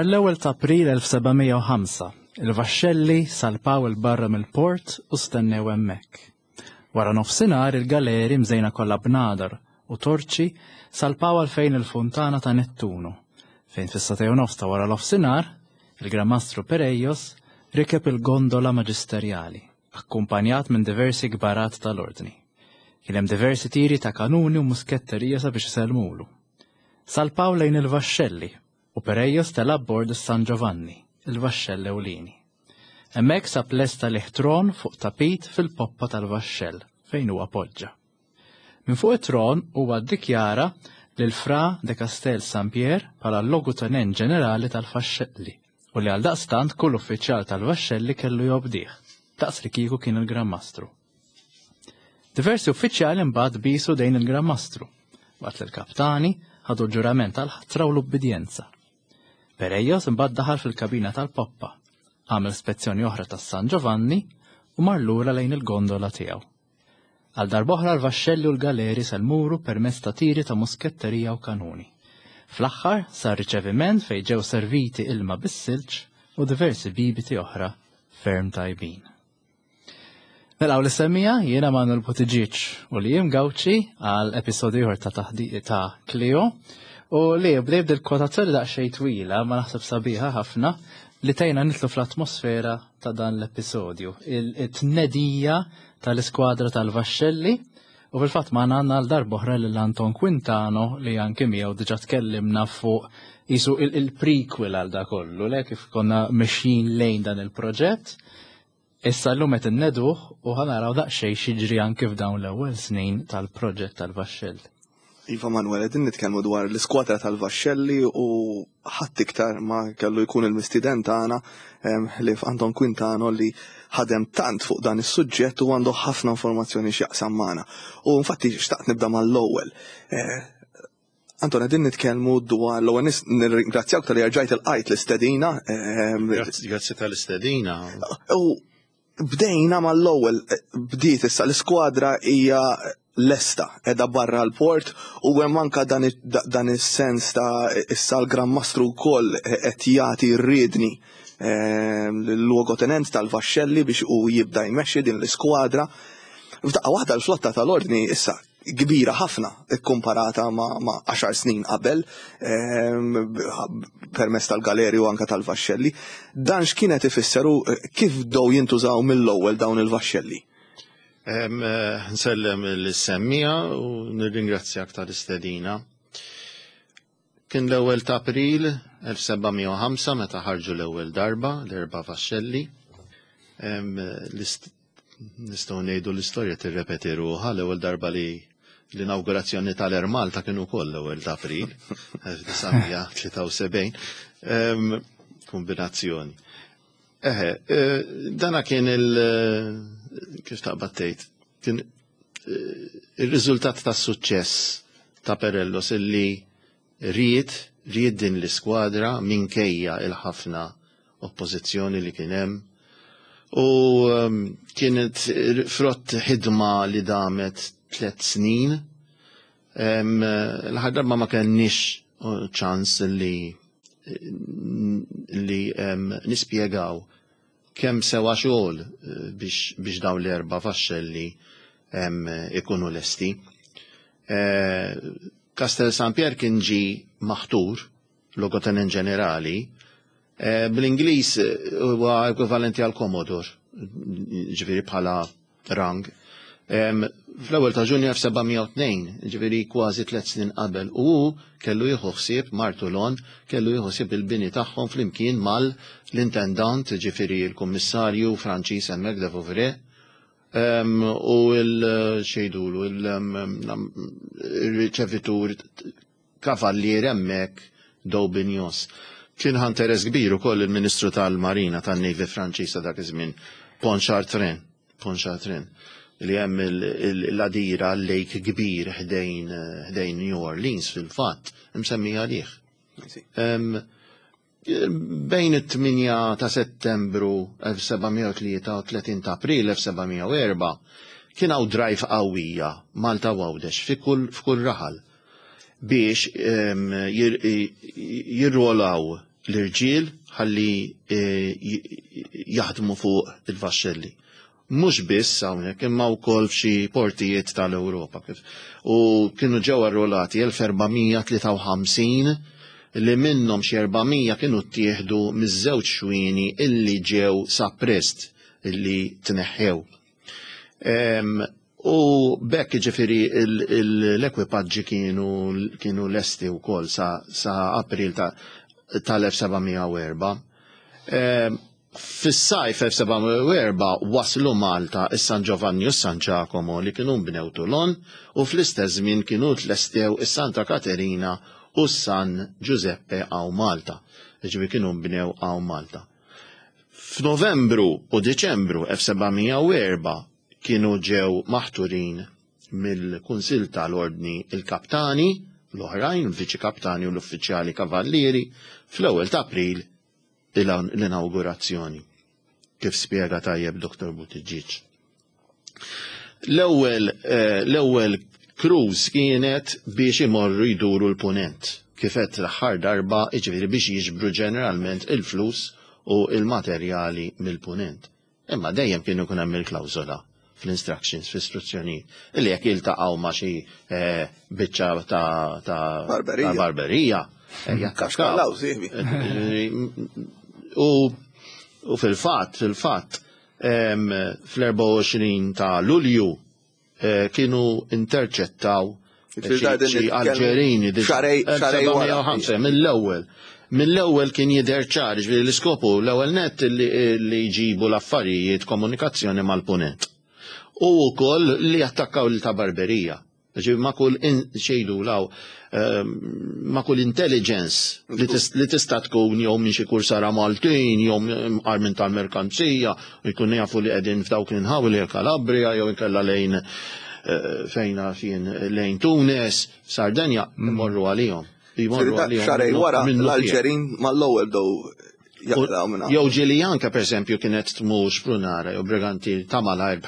Nhar l-ewwel ta' April 1705, il-vaxxelli salpaw 'il barra mill-port u stennew hemmhekk. Wara nofsinhar il-galeri mżejna kollha bnadar u torċi salpaw għal fejn il-funtana ta' Nettunu, fejn fis-sagħtej u nofs ta' wara nofsinhar, il-Gran Mastru Perejos rikeb il-gondola maġisterjali, akkumpanjat minn diversi kbarat tal-Ordni. Kien hemm diversi tiri ta' kanuni u musketterija sabiex isellmulu. Salpaw lejn il-vaxxelli u Perejos tela' abbord is-San Giovanni, il-vaxxell ewlieni. Hemmhekk sab lest għalih tron fuq tapit fil-poppa tal-vaxxell fejn huwa poġġa. Minn fuq it-tron huwa ddikjara lil Fra de Castel San Pier bħala l-Logutenent Ġenerali tal-Faxxelli u li għaldaqstant kull uffiċjal tal-vaxxelli kellu jobdih, daqs li kieku kien il-Gran Mastru. Diversi uffiċjali mbagħad bisu dejn il-Gran Mastru, waqt li l-kaptani ħadu l-ġurament tal-ħatra u l-ubbidjenza. Perejos imbagħad daħal fil-kabina tal-poppa, għamel spezzjoni oħra tas-San Giovanni u mar lura lejn il-gondola tiegħu. Għal darb'oħra l-vaxxelli u l-galeri sellmuru permezz ta' tiri ta' musketterija u kanuni. Fl-aħħar sar riċeviment fejn ġew serviti ilma bis-silġ u diversi bibiti oħra ferm tajbin. Nilqgħu l-semmija jiena Manuel Buttigieg u li jim Gawċi għal episodju ieħor ta' taħdiq ta' Clio u li bdej bdil kwotazzjoni daqsxejn twila ma naħseb sabiħa ħafna li tgħinna nitlu fl-atmosfera ta' dan l-episodju, it-tnedija tal-iskwadra tal-Vaxxelli u fil-fatt ma għandna għal darb'oħra lil Anton Quintano li anke miegħu diġà tkellimna fuq isu il-prequel għal da kollu, le kif konna mexjin lejn dan il-proġett. Issa llum qed inneduh u ħa naraw daqsxejn x'jiġri anki f'dawn l-ewwel snin tal-proġett tal-Vaxxell. Iva Manuel, qegħdin nitkellmu dwar l-iskwadra tal-Vaxxelli u ħadd iktar ma kellu jkun il-mistieden tagħna ħlief Anton Quintano li ħadem tant fuq dan is-suġġett u għandu ħafna informazzjoni x'jaqsam magħna. U infatti xtaqt nibda mal-ewwel. Eh, Anton, qegħdin nitkellmu dwar l-ewwel nirringrazzjawk tal-li rġajt il-qajt l-istedina. Ehm, grazzi tal-istedina. U bdejna mal-ewwel eh, bdiet issa l-iskwadra hija lesta edha barra l-port u hemm anka dan is-sens ta' issa l-Gran Mastru wkoll qed jagħti r-riedni ehm, l-luogotenent tal-vaxxelli biex u jibda jmexxi din l-iskwadra. F'daqqa waħda l-flotta tal-ordni issa kbira ħafna kkumparata ma' għaxar snin qabel ehm, permezz tal-galeri u anka tal-vaxxelli. Dan x'kienet ifisser u eh, kif bdew jintużaw mill-ewwel dawn il-vaxxelli? Ehm, eh, nsellem l-semmija u nirringrazzjak tal-istedina. Kien l-ewwel ta' April 1705 meta ħarġu l-ewwel darba l-erba' vaxxelli. Nistgħu ngħidu l-istorja tirrepeti ruħha l-ewwel darba li l-inawgurazzjoni tal-Air Malta kien ukoll l-ewwel ta' April 1973. Kombinazzjoni. Eħe, eh, dana kien il- eh, kif taqbad tgħid, kien eh, ir-riżultat tas suċċess ta' Perellos illi ried ried din l-iskwadra minkejja il-ħafna oppożizzjoni li kien hemm. U ehm, kienet frott ħidma li damet tliet snin. Ehm, l-aħħar darba ma kenniex ċans li li ehm, nispjegaw kemm sewa xogħol eh, biex, biex dawn l-erba' vaxxelli ikunu lesti. Eh, Castel San Pier kien ġi maħtur logotenent ġenerali, eh, bl-Ingliż huwa ekwivalenti għal Commodore, ġifieri bħala rang. Fl-ewwel ta' Ġunju 1702, ġifieri kważi tliet snin qabel, u hu kellu jieħu ħsieb martu Lon, kellu jieħu ħsieb il-bini tagħhom flimkien mal-intendant, ġifieri l-kummissarju Franċiż hemmhekk de Vouvray, u l-xejdulu, il-riċevitur kavallier hemmhekk D'Aubignos. Kien ħa interess kbir ukoll il-Ministru tal-Marina tan-Navy Franċiż ta' dak iż-żmien, Pontchartrain, Pontchartrain, li hemm l-għadira lake kbir ħdejn ħdejn New Orleans fil-fatt, imsemmi għalih. Bejn it-8 ta' Settembru 1703 u 30 ta' April 1704 kien hawn drive qawwija Malta u Għawdex fi kull f'kull raħal biex ehm, jirrolaw. l-irġiel ħalli eh, jaħdmu fuq il-vaxxelli. Mhux biss hawnhekk imma wkoll f'xi portijiet tal-Ewropa. U kienu ġew arrolati 1453 li minnhom xi 400 kienu ttieħdu miż-żewġ xwieni illi ġew sa Prest illi tneħħew. U b'hekk jiġifieri l-ekwipaġġi kienu kienu lesti wkoll sa, sa April tal-1704. Fis-sajf 1704 waslu Malta is-San Giovanni u s-San Giacomo li kienu nbnew Toulon u fl-istess żmien kienu tlestew is-Santa Caterina u s-San Giuseppe hawn Malta. Jiġifieri kienu nbnew hawn Malta. F'Novembru u Diċembru 1704 kienu ġew maħturin mill-Kunsill tal-Ordni il-Kaptani l-oħrajn, il-Viċi Kaptani u l-Uffiċjali Kavallieri fl-ewwel ta' April l-inawgurazzjoni, kif spjega tajjeb Dr. Buttigieg. L-ewwel eh, l-ewwel cruise kienet biex imorru jduru l-punent. Kif għedt l-aħħar darba, jiġifieri biex jiġbru ġeneralment il-flus u il-materjali mill-punent. Imma dejjem kienu jkun hemm il-klawżola fl-instructions, fl-istruzzjonijiet, li jekk jiltaqgħu ma' xi eh, biċċa ta' ta' Barberija. ta' barberija, eh, jattakkaw. Kaxkallaw, sieħbi. U u fil-fatt, fil-fatt, fl-24 ta' Lulju eh, kienu interċettaw xi Alġerini xarej wara. mill-ewwel. Mill-ewwel kien jidher ċar, ġifieri l-iskopu l-ewwel net li jġibu l-affarijiet komunikazzjoni mal-punent. U wkoll li attakkaw lil ta' Barberija. Ġifieri ma' kull xejdu law ehm, ma' kull intelligence li tista' tkun jew minn xi kursara Maltin jew armin tal-merkanzija, jkun jafu li qegħdin f'dawk l-inħawi li Kalabria jew inkella lejn eh, fejna fien lejn Tunis, Sardenja, mm. imorru għalihom. Jmorru għalihom. Xarej wara l-Alġerin mal-ewwel dow jaqlaw minna. Jew ġieli anke pereżempju kienet tmur xprunara jew briganti ta' malajr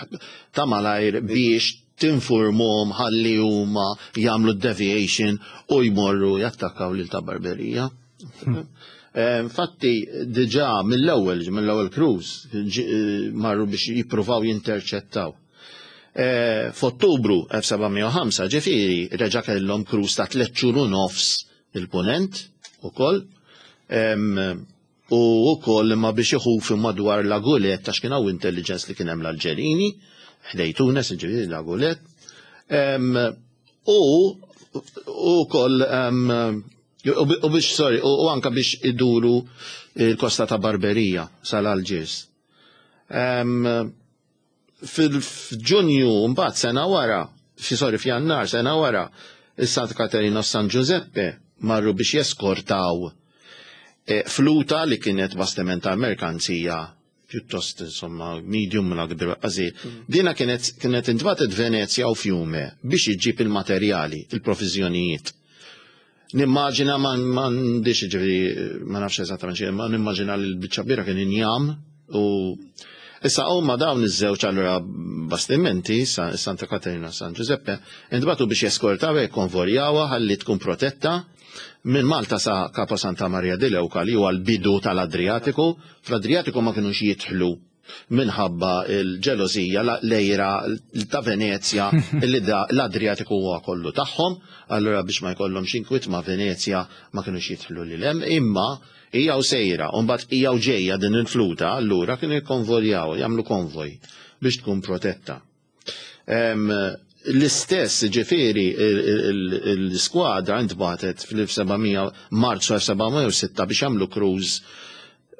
ta' malajr biex tinfurmhom ħalli huma jagħmlu deviation u jmorru jattakkaw lil ta' Barberija. Eh, infatti diġà mill-ewwel mill-ewwel cruise eh, marru biex jippruvaw jinterċettaw. Eh, F'Ottubru 1705 ġifieri reġa' kellhom cruise ta' tliet xhur u nofs il-punent ukoll. U wkoll imma biex iħufu madwar La Goulette għax kien hawn intelligence li kien hemm l-Alġerini ħdej Tunes, ġifieri La Goulette. U wkoll u biex sorry, u anka biex iduru il-kosta ta' Barberija sal-Alġiers. Fil-Ġunju mbagħad sena wara, fi sorry f'Jannar sena wara, is-Santa Katerina u San Giuseppe marru biex jeskortaw eh, fluta li kienet bastiment tal-merkanzija pjuttost insomma medium la kbir qasir. Mm. Dina kienet kienet intbatet Venezja u Fiume biex iġġib il-materjali, il-provizjonijiet. Nimmaġina ma m'għandix ġifieri ma nafx eżattament xi, ma nimmaġina li l-biċċa kbira kien injam u issa huma dawn iż-żewġ allura bastimenti Santa Katerina u San Giuseppe intbagħtu biex jeskortaw e jikkonvorjawha ħalli tkun protetta minn Malta sa Capo Santa Maria di Leuca li huwa l-bidu tal-Adriatiku. Fl-Adriatiku ma kinux jidħlu minħabba l-ġelożija, l-għira ta' Venezja li l-Adriatiku huwa kollu tagħhom, allura biex ma jkollhomx inkwiet ma' Venezja ma kinux jidħlu lil hemm, imma hija u sejra, u mbagħad hija u ġejja din il-fluta, allura kienu jikkonvoljaw, jagħmlu konvoj biex tkun protetta. L-istess ġifieri l-iskwadra intbatet fl-1700 Marzu 1706 biex jagħmlu cruise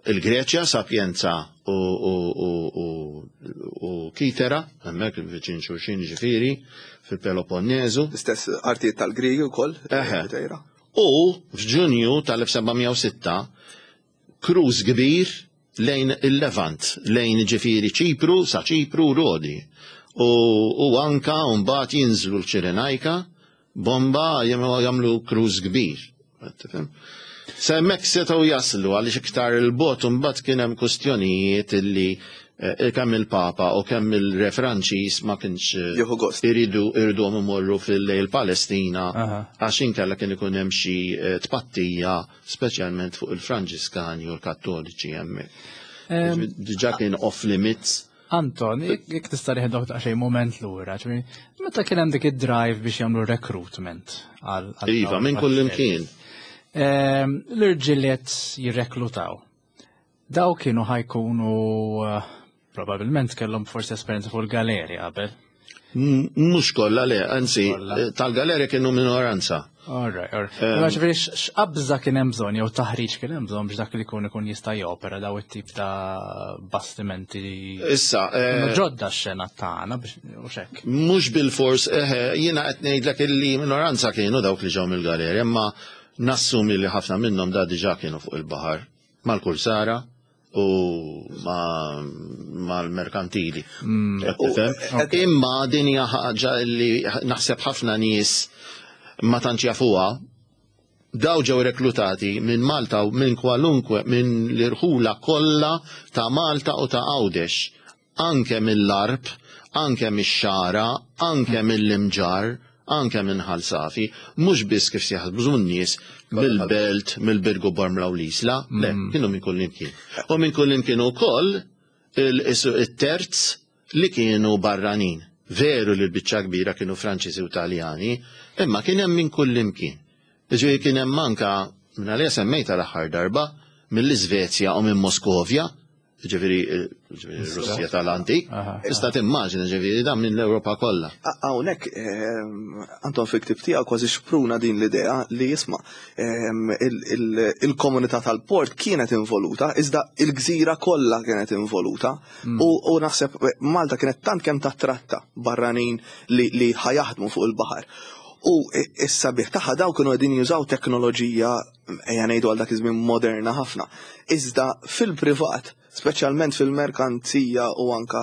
il-Greċja, Sapienza u Kitera, hemmhekk viċin xulxin ġifieri fil-Peloponnesu. L-istess artijiet tal-Griegi wkoll. U f'Ġunju tal-1706 cruise kbir lejn il-Levant, lejn ġifieri Ċipru, sa Ċipru u Rodi. U, u anka mbagħad jinżlu l-Ċirenajka, bomba jagħmlu cruise kbir. Tifhem? Sa hemmhekk setgħu jaslu għaliex iktar il-bot imbagħad kien hemm kwistjonijiet illi Kemm il-Papa u kemm il-Re Franċiż ma kienx Jieħu gost. iridu iriduhom imorru fil-lejl Palestina għax inkella kien ikun hemm xi tpattija speċjalment fuq il-Franġiskani u l-Kattoliċi hemmhekk. Diġà kien off limits. Anton, jekk tista' nieħdok daqsxejn moment lura, ġifieri, meta kien hemm dik id-drive biex jagħmlu recruitment għal Iva, minn kull imkien. L-irġiel jirreklutaw. Daw kienu ħa jkunu probabilment kellhom forsi esperjenza fuq il-galeri qabel. Mhux kollha le, anzi, tal-galeri kienu minoranza. All right, all right. Ma ġifieri x'qabża kien hemm bżonn jew taħriġ kien hemm bżonn biex dak li jkun ikun jista' jopera daw it-tip ta' bastimenti. Issa, ġodda x-xena tagħna biex u xek. Mhux bil-fors, jiena qed ngħidlek illi minoranza kienu dawk li ġew mill-galeri, imma nassumi li ħafna minnhom da diġà kienu fuq il-baħar mal-kursara u mal-merkantili. Tifhem? Imma din hija ħaġa li naħseb ħafna nies ma tantx jafuha. Daw ġew reklutati minn Malta u minn kwalunkwe minn l-irħula kollha ta' Malta u ta' Għawdex, anke mill-Għarb, anke mix-Xagħra, anke mill-Imġarr, anke minn Ħal Safi, mhux biss kif jaħsbu n-nies mill-Belt, mill-Birgu Bormla u l-Isla, le, kienu minn kull imkien. U minn kull imkien ukoll il-terz li kienu barranin. Veru li l-biċċa kbira kienu Franċiżi u Taljani, imma kien hemm minn kull imkien. Ġifieri kien hemm anka, minn għalija semmejta l-aħħar darba, mill-Iżvezja u minn Moskovja, ġifieri Russja tal-antik, tista' timmaġina ġifieri dan minn l-Ewropa kollha. Hawnhekk Anton fil-ktib tiegħu kważi xpruna din l-idea li jisma' il-komunità tal-port kienet involuta, iżda il-gżira kollha kienet involuta. U naħseb Malta kienet tant kemm tattratta barranin li ħajaħdmu fuq il-baħar. U issa bih tagħha daw kienu qegħdin jużaw teknoloġija ejja ngħidu għal dak iż-żmien moderna ħafna. Iżda fil-privat, speċjalment fil-merkanzija u anka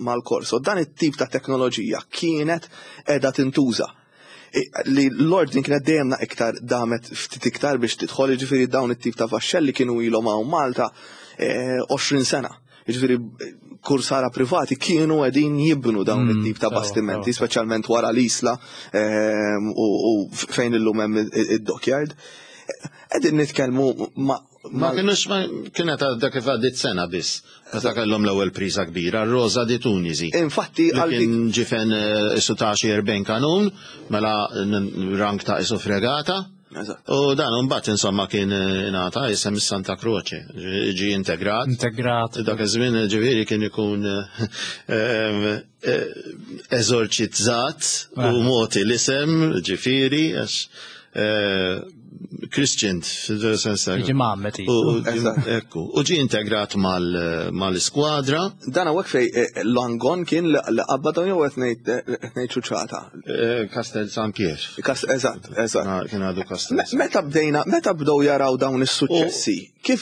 mal-korso, dan it-tip ta' teknoloġija kienet qiegħda tintuża. Li l-ordni kienet dejjem iktar damet ftit iktar biex tidħol, jiġifieri dawn it-tip ta' vaxxelli kienu ilhom hawn Malta 20 sena. Jiġifieri kursara privati kienu qegħdin jibnu dawn it-tip ta' bastimenti, speċjalment wara l-Isla u fejn illum hemm id-dockyard. Qegħdin nitkellmu ma' Ma kienux, ma kienet għadda kif għaddit sena biss, meta kellhom l-ewwel priża kbira, Rosa di Tunisi. Infatti, Li għal kien ġifen isu ta' xi 40 kanun, mela rank ta' isu fregata. U dan mbagħad insomma kien ingħata isem Santa Croce, ġi integrat. Integrat. Dak iż-żmien ġifieri kien ikun eżorċizzat u moti l-isem ġifieri għax Christian, fil-sens ta' Jiġi mgħammed, U ekku, u ġi integrat mal-iskwadra. Dan hawnhekk fej Langon kien li qabad jew qed ngħid ċuċata. Castel San Pier. Eżatt, eżatt. Kien għadu Castel San Meta bdejna, meta bdew jaraw dawn is-suċċessi, kif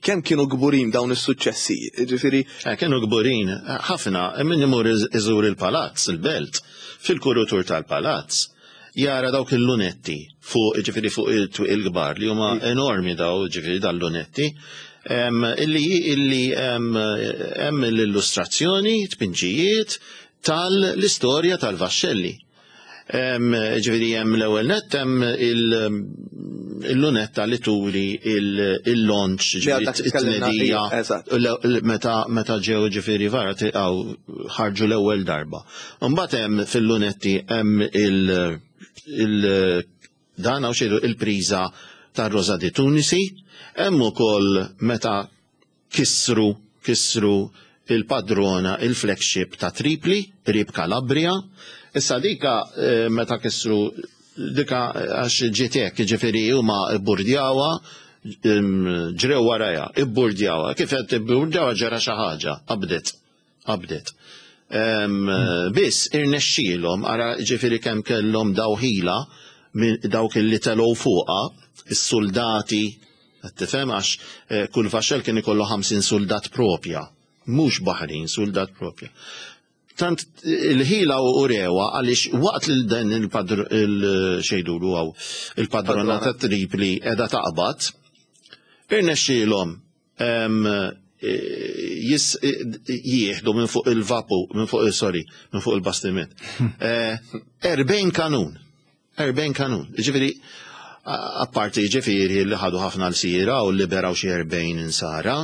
kemm kienu kburin dawn is-suċċessi? Ġifieri Kienu kburin ħafna, min imur iżur il-palazz, il-belt, fil-kurutur tal-palazz, jara dawk il-lunetti fuq, ġifieri fuq il-twieqi il-kbar li huma enormi daw, ġifieri dal-lunetti, illi hemm l-illustrazzjoni, tpinġijiet tal-istorja tal-vaxxelli. Ġifieri hemm l-ewwel nett hemm il-lunetta li turi il-launch, Li ġifieri għadha tkellimna it-tnedija, fija, eżatt. meta ġew ġifieri vara għaw ħarġu l-ewwel darba. Imbagħad hemm fil-lunetti hemm il dan hawn xejdu il-priża tar-Rosa di Tunisi, hemm ukoll meta kisru il-padrona, il-flagship ta' Tripli, qrib Calabria. Issa dika meta kisru dika għax ġiet hekk, ġifieri huma bburdjawa, ġrew warajha, ibburdjawa. Kif qed ibburdjawa ġara xi ħaġa, qabdet, qabdet. Biss irnexxielhom, ara ġifieri kemm kellhom dawħila minn dawk li telgħu fuqha, is-soldati, qed tifhem għax kull vaxxell kien ikollu 50 soldat propja, mhux baħrin, soldat propja. Tant il-ħila u rewa għaliex waqt li dan il-xejdulu għaw il-padrona ta' Tripli edha taqbad, irnexxielhom. jis jieħdu minn fuq il-vapu, minn fuq sorry, minn fuq il-bastiment. 40 kanun. 40 kanun. Ġifieri, apparti ġifieri li ħadu ħafna l-sira u liberaw xi 40 insara.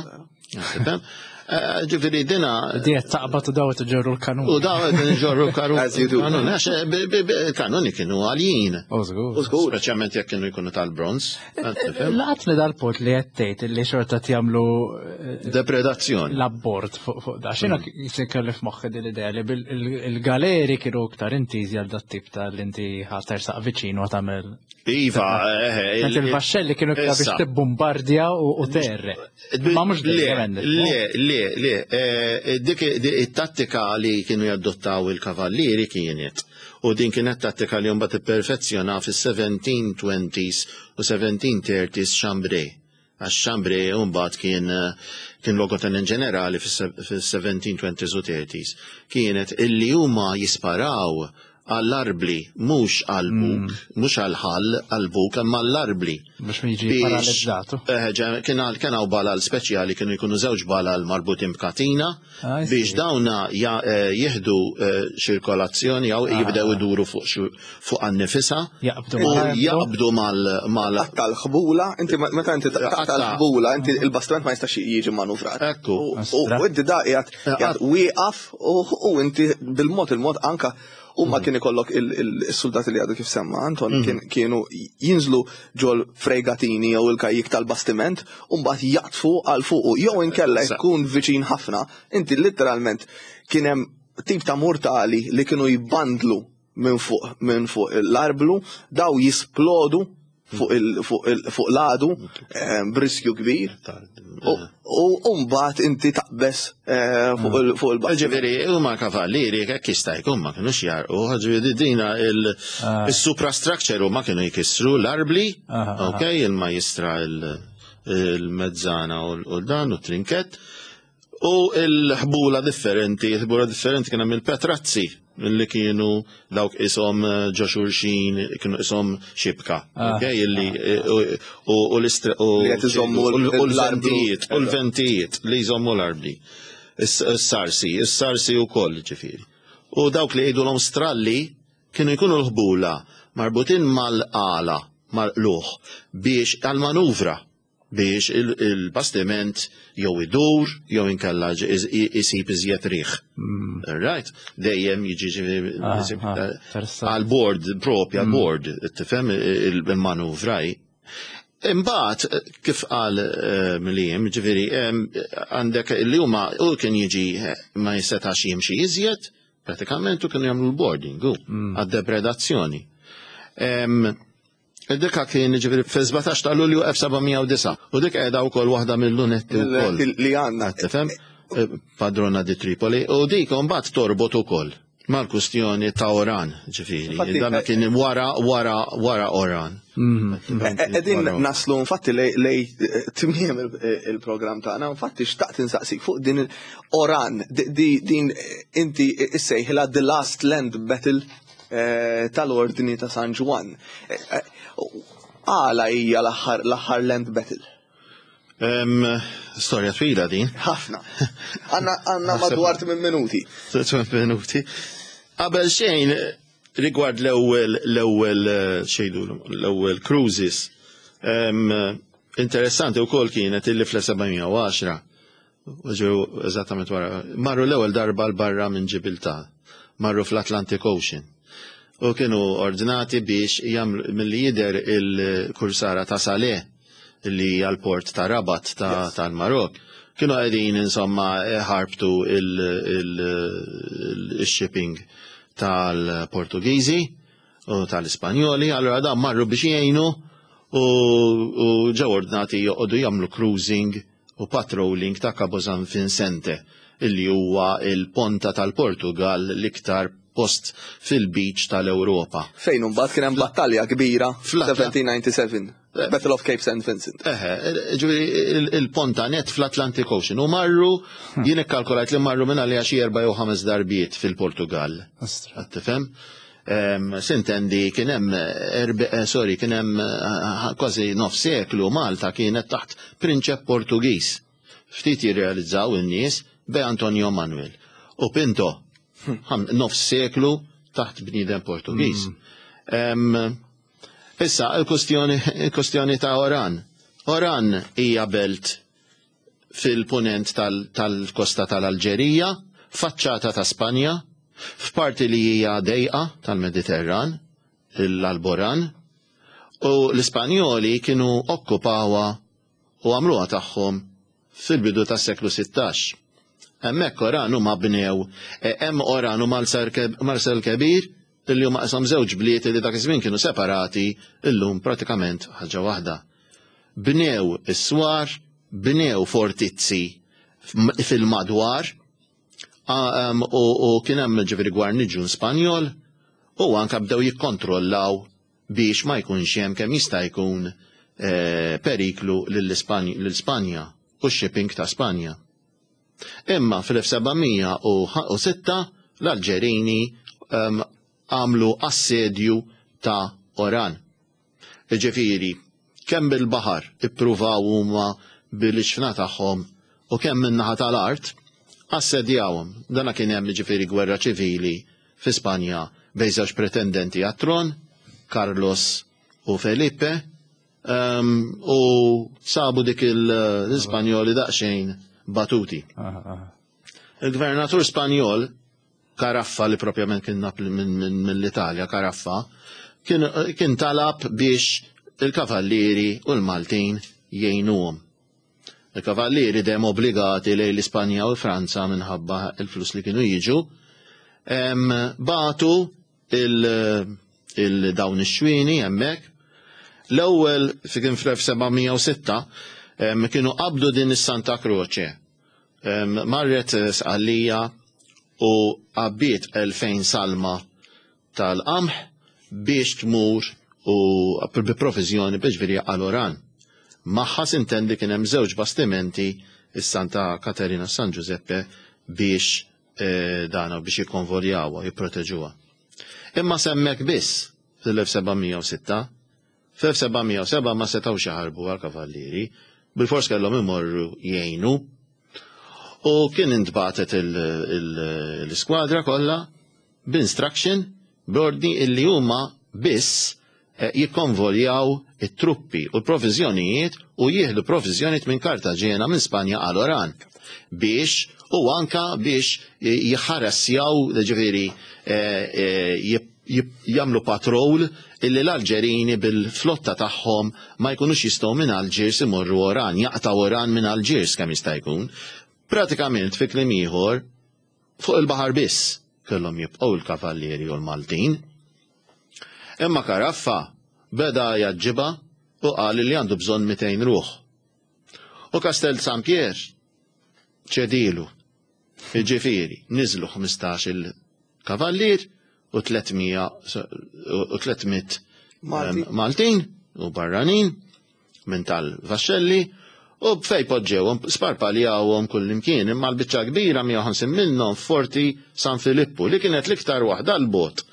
Eh, ġifieri dina. Diet taqbad u daw ġorru l-kanun. U daw ġorru l-kanun. As you do. Kanun, għax eh, kanuni kienu għaljin. Użgur. Speċjalment jekk kienu jkunu tal-bronz. Laqat li dal-punt li qed tgħid li xorta jagħmlu eh, Depredazzjoni. L-abbord fuq da. X'inhu se kelli f'moħħi din l-idea li il-galeri kienu iktar intiżi għal dat-tip ta' li inti ħatersaq viċin u tagħmel. Iva, eh, il-vaxxelli kienu iktar biex tibbombardja u terre. Ma mhux dejjem. Le, le, le, eh, dik it-tattika li kienu jadottaw il-kavallieri kienet u din kienet tattika li mbagħad ipperfezzjona fis-1720s u 1730s Chambray. Għax Chambray mbagħad kien kien logotenent ġenerali fis-1720s u 30s. Kienet illi huma jisparaw għall-arbli, mhux għall-buk, mm. mhux għall-ħall, għall-buk, imma għall-arbli. Biex ma jiġi paralizzatu. Eh, kien hawn balal speċjali kienu jkunu żewġ balal marbutin b'katina ah, biex dawna eh, jieħdu eh, ċirkolazzjoni jew ah. jibdew iduru fuq fuq għan-nifisa. Jaqbdu mal mal Taqta' l-ħbula, inti meta inti taqta' l-ħbula, inti il-bastiment ma jistax jiġi manuvrat. Ekku. U inti da qiegħed wieqaf u inti bil-mod il-mod anka U ma mhm. kien ikollok il-soldati li għadu kif semma, Anton, mhm. kienu jinżlu ġol fregatini jew il-kajjik tal-bastiment, u mbagħad jaqtfu għal fuqu, jew inkella jkun viċin ħafna, inti literalment kien hemm tip ta' mortali li kienu jbandlu minn fuq minn fuq l-arblu, daw jisplodu fuq l-għadu eh, b'riskju kbir. U mbagħad inti taqbes eh, fuq il-baħar. Ġifieri huma kavallieri hekk jista' jkun ma kinux jarqu, ġifieri dina ah. il-suprastructure huma kienu jkissru l-arbli, ah, ah, ok, il-majistra il-mezzana u dan u trinket. U l-ħbula differenti, l-ħbula differenti kien hemm il-petrazzi li kienu dawk ishom eh, ġo xulxin, kienu ishom xibka. Ah. Ok, illi eh, u l-ventijiet, u l-ventijiet li jżommu l-arbli. Is-sarsi, is-sarsi u koll ġifiri. U dawk li jgħidulhom stralli kienu jkunu l-ħbula marbutin mal-qala, mal-qluħ biex għal-manuvra biex il-bastiment jew idur jew inkella isib iżjed riħ. Mm. Right? Dejjem jiġi ah, ah, għal-board propja mm. board, tifhem il-manuvra. Imbagħad kif qal eh, Mliem, ġifieri għandek li huma u kien jiġi eh, ma jistetax jimxi iżjed, pratikament u kienu jagħmlu l-boarding mm. għad-depredazzjoni. Id-dikka kien ġifieri fil-17 ta' Lulju 1709 u dik qiegħda wkoll waħda mill-lunetti wkoll. Li għandna. Tifhem? Eh, Padrona di Tripoli u dik mbagħad torbot ukoll mal-kustjoni ta' Oran, ġifieri. Dan eh, kien wara wara wara Oran. Mhm. Eh, Edin naslu infatti lej tmiem il-programm tagħna, infatti xtaqt insaqsik fuq din Oran, din inti issejħilha The Last Land Battle Eh, tal-Ordni ta' San Ġwann. Eh, eh, għala hija l-aħħar land battle? Storja twila din. Ħafna. Għanna madwar 8 minuti. 8 minuti. Qabel xejn, rigward l-ewwel l-ewwel xejdu l-ewwel cruises. Interessanti wkoll kienet illi fl-710 Ġew eżattament wara. Marru l-ewwel darba 'l barra minn Ġibiltà. Marru fl-Atlantic Ocean. U kienu ordnati biex jagħmlu milli jidher il-kursara ta' Salé li hija l-port ta' Rabat tal-Marokk. Kienu qegħdin insomma ħarbtu il-shipping tal-Portugiżi u tal-Ispanjoli, allura dan marru biex jgħinu u ġew ordnati joqogħdu jagħmlu cruising u patrolling ta' Cabo San Vincente, illi huwa l-ponta tal-Portugall l-iktar post fil-beach tal-Ewropa. Fejn imbagħad kien hemm battalja kbira fl-1797, eh. Battle of Cape St. Vincent. Eħe, ġifieri il-ponta net fl-Atlantic Ocean u marru hmm. jien ikkalkulajt li marru minn għalija xi erba' jew ħames darbiet fil-Portugall. Tifhem? Sintendi kien hemm eh, sorry, kien hemm eh, kważi nof seklu Malta kienet taħt prinċep Portugiż. Ftit jirrealizzaw in-nies bej Antonio Manuel u Pinto nofs seklu taħt bniedem Portugiż. Issa, il-kustjoni ta' Oran. Oran hija belt fil-punent tal-kosta tal-Alġerija, faċċata ta' Spanja, f'parti li hija dejqa tal-Mediterran, l-Alboran, u l-Ispanjoli kienu okkupawha u għamluha tagħhom fil-bidu tas-seklu 16. Hemmhekk Oran huma bnew eh, hemm Oran u Marsel Kebir illi huma qishom żewġ bliet li dak iż-żmien kienu separati illum pratikament ħaġa waħda. Bnew is-swar, bnew fortizzi fil-madwar u kien hemm ġifieri gwarniġun Spanjol u anka bdew jikkontrollaw biex ma jkunx hemm kemm jista' jkun eh, periklu lill-Spanja u x-shipping ta' Spanja. Imma fl-1706 l-Alġerini għamlu assedju ta' Oran. Jiġifieri, kemm bil-baħar ippruvaw huma bil-iġfna tagħhom u kemm min-naħa tal-art, assedjawhom. Dana kien hemm jiġifieri gwerra ċivili fi Spanja bejn żewġ pretendenti għat-tron, Carlos u Felipe, u sabu dik l-Ispanjoli daqsxejn batuti. Il-gvernatur Spanjol, Caraffa li propjament kien mill-Italja, Caraffa, kien talab biex il-kavallieri u l-Maltin jgħinuhom. Il-kavallieri dejjem obbligati lejn l-Ispanja u l-Franza minħabba il-flus li kienu jiġu, batu il-dawn ix-xwieni hemmhekk. L-ewwel fi kien fl-1706 kienu qabdu din is-Santa Croce. Marret Sqallija u għabbiet 2000 salma tal-qamħ biex tmur u bi provizjoni biex ġifieri għal Oran. Magħha sintendi kien hemm żewġ bastimenti is-Santa Katerina San Giuseppe biex eh, dana biex jikkonvoljawha, jipproteġuha. Imma semmek biss fil-1706, fl-1707 ma setgħux jaħarbu għal-kavallieri, bil-fors kellhom imorru jgħinu. U kien intbatet l-iskwadra kollha b'instruction b'ordni illi huma biss eh, jikkonvoljaw it-truppi u l-proviżjonijiet u jieħdu proviżjonijiet minn Kartaġena minn Spanja għal Oran biex u anka biex jħarassjaw ġifieri eh, eh, jagħmlu patrol illi l-Alġerini bil-flotta tagħhom ma jkunux jistgħu minn Alġiers imorru Oran, jaqtgħu Oran minn Alġiers kemm jista' jkun. Pratikament fi kliem ieħor Fuq il-baħar biss kellhom jibqgħu l-kavallieri u l-Maltin. Imma Caraffa beda jgħaġġibha u qal li għandu bżonn 200 ruħ. U Castel San Pier ċedilu. Jiġifieri, niżlu 15-il kavallier u 300 u 300 Maltin u barranin minn tal-vaxxelli u fej poġġewhom sparpaljawhom kullimkien imma l-biċċa kbira 150 minnhom f'Forti San Filippu li kienet l-iktar waħda 'l bogħod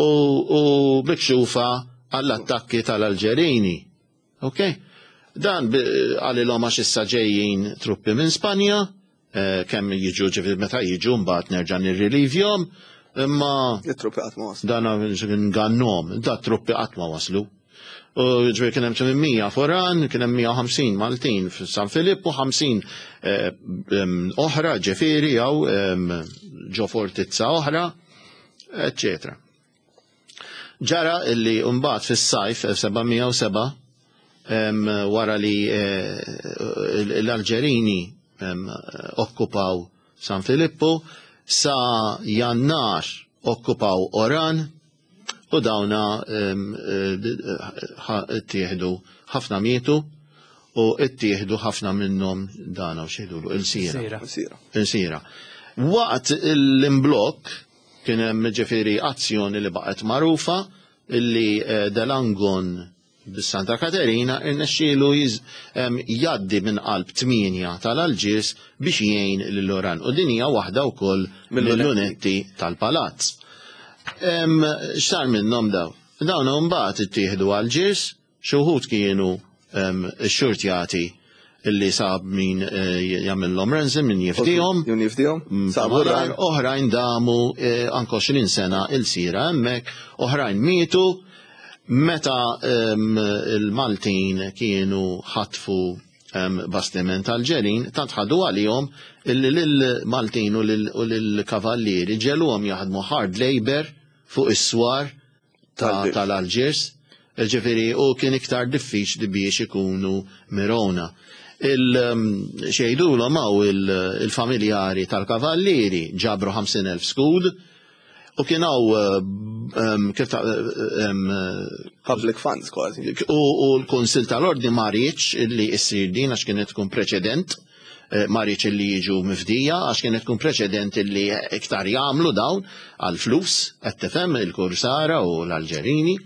u, u mikxufa għall-attakki tal-Alġerini. Ok? Dan qalilhom għax issa ġejjin truppi minn Spanja, eh, kemm jiġu ġifieri meta jiġu mbagħad nerġa' nirrilivjhom, imma It-truppi qatt ma waslu. Dan ngannom, da truppi qatt ma waslu. U ġifieri kien hemm 800 foran, kien hemm 150 Maltin f'San Filippu, 50 eh, oħra ġifieri jew ġo fortizza oħra, eccetera. Ġara illi mbagħad fis-sajf 1707 wara li eh, l-Alġerini okkupaw San Filippu, sa Jannar okkupaw Oran u dawna eh, ttieħdu ħafna mietu u ttieħdu ħafna minnhom dana u xejdulu il-sira. Il-sira. Waqt l-imblokk Kien hemm ġifieri azzjoni li baqgħet magħrufa illi eh, Delangon bis-Santa Katerina irnexxielu jgħaddi minn qalb tmienja tal-Alġiers biex jgħin lil Oran. U din hija waħda wkoll mill-lunetti tal-palazz. X'sar minnhom daw? Dawn imbagħad ittieħdu Alġiers, xi wħud kienu xxurtjati. illi sab min eh, jagħmilhom ransom, min jifdihom. Min jifdihom. Mm, Sabu Oħrajn damu eh, anke 20 sena il-sira hemmhekk, oħrajn mietu meta ehm, il-Maltin kienu ħatfu ehm, bastiment tal-ġerin, tant ħadu għalihom illi lill-Maltin u lill-kavallieri ġeluhom jaħdmu hard labor fuq is-swar tal-Alġiers, ġifieri u kien iktar diffiċli biex ikunu mirona. Il-xejdulhom hawn il-familjari tal-kavallieri ġabru 50,000 skud u kien hawn kif public funds kważi. U l-Kunsill tal-Ordni ma riedx illi issir din għax kienet tkun preċedent. Eh, ma rridx li jiġu mifdija għax kienet tkun preċedent li iktar jagħmlu dawn għal flus qed tifhem il-Kursara u l-Alġerini.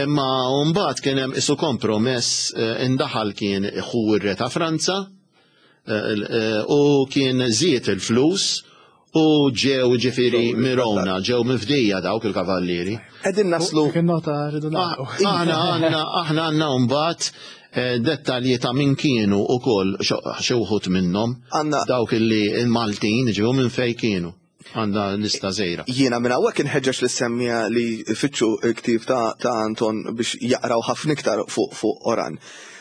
Imma mbagħad kien hemm isu kompromess eh, indaħal kien ħu r-re ta' Franza eh, u kien żied il-flus U ġew ġifiri mirona, ġew mifdija dawk il-kavallieri. Qegħdin naslu. Kien nota rridu nagħlqu. Aħna għandna aħna għandna mbagħad eh, dettalji ta' min kienu ukoll xi wħud minnhom. Dawk illi il-Maltin ġew minn fejn kienu. Għandna lista żgħira. Jiena minn hawnhekk inħeġġeġ lis-semmiegħa li jfittxu l-ktieb ta' Anton biex jaqraw ħafna iktar fuq Oran.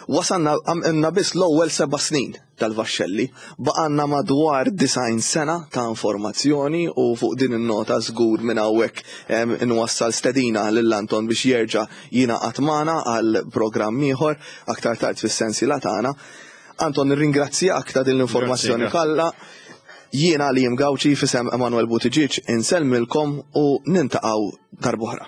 Wasalna għamilna biss l-ewwel seba' snin. tal-vaxxelli. Baqgħalna madwar 90 sena ta' informazzjoni u fuq din in-nota żgur minn hawnhekk inwassal stedina lil Anton biex jerġa' jingħaqad magħna għal programm ieħor aktar tard fis-sensiela tagħna. Anton nirringrazzjak ta' din l-informazzjoni kollha. Jiena Liam Gauci f'isem Emanuel Buttigieg insellmilkom u nintaqgħu darb'oħra.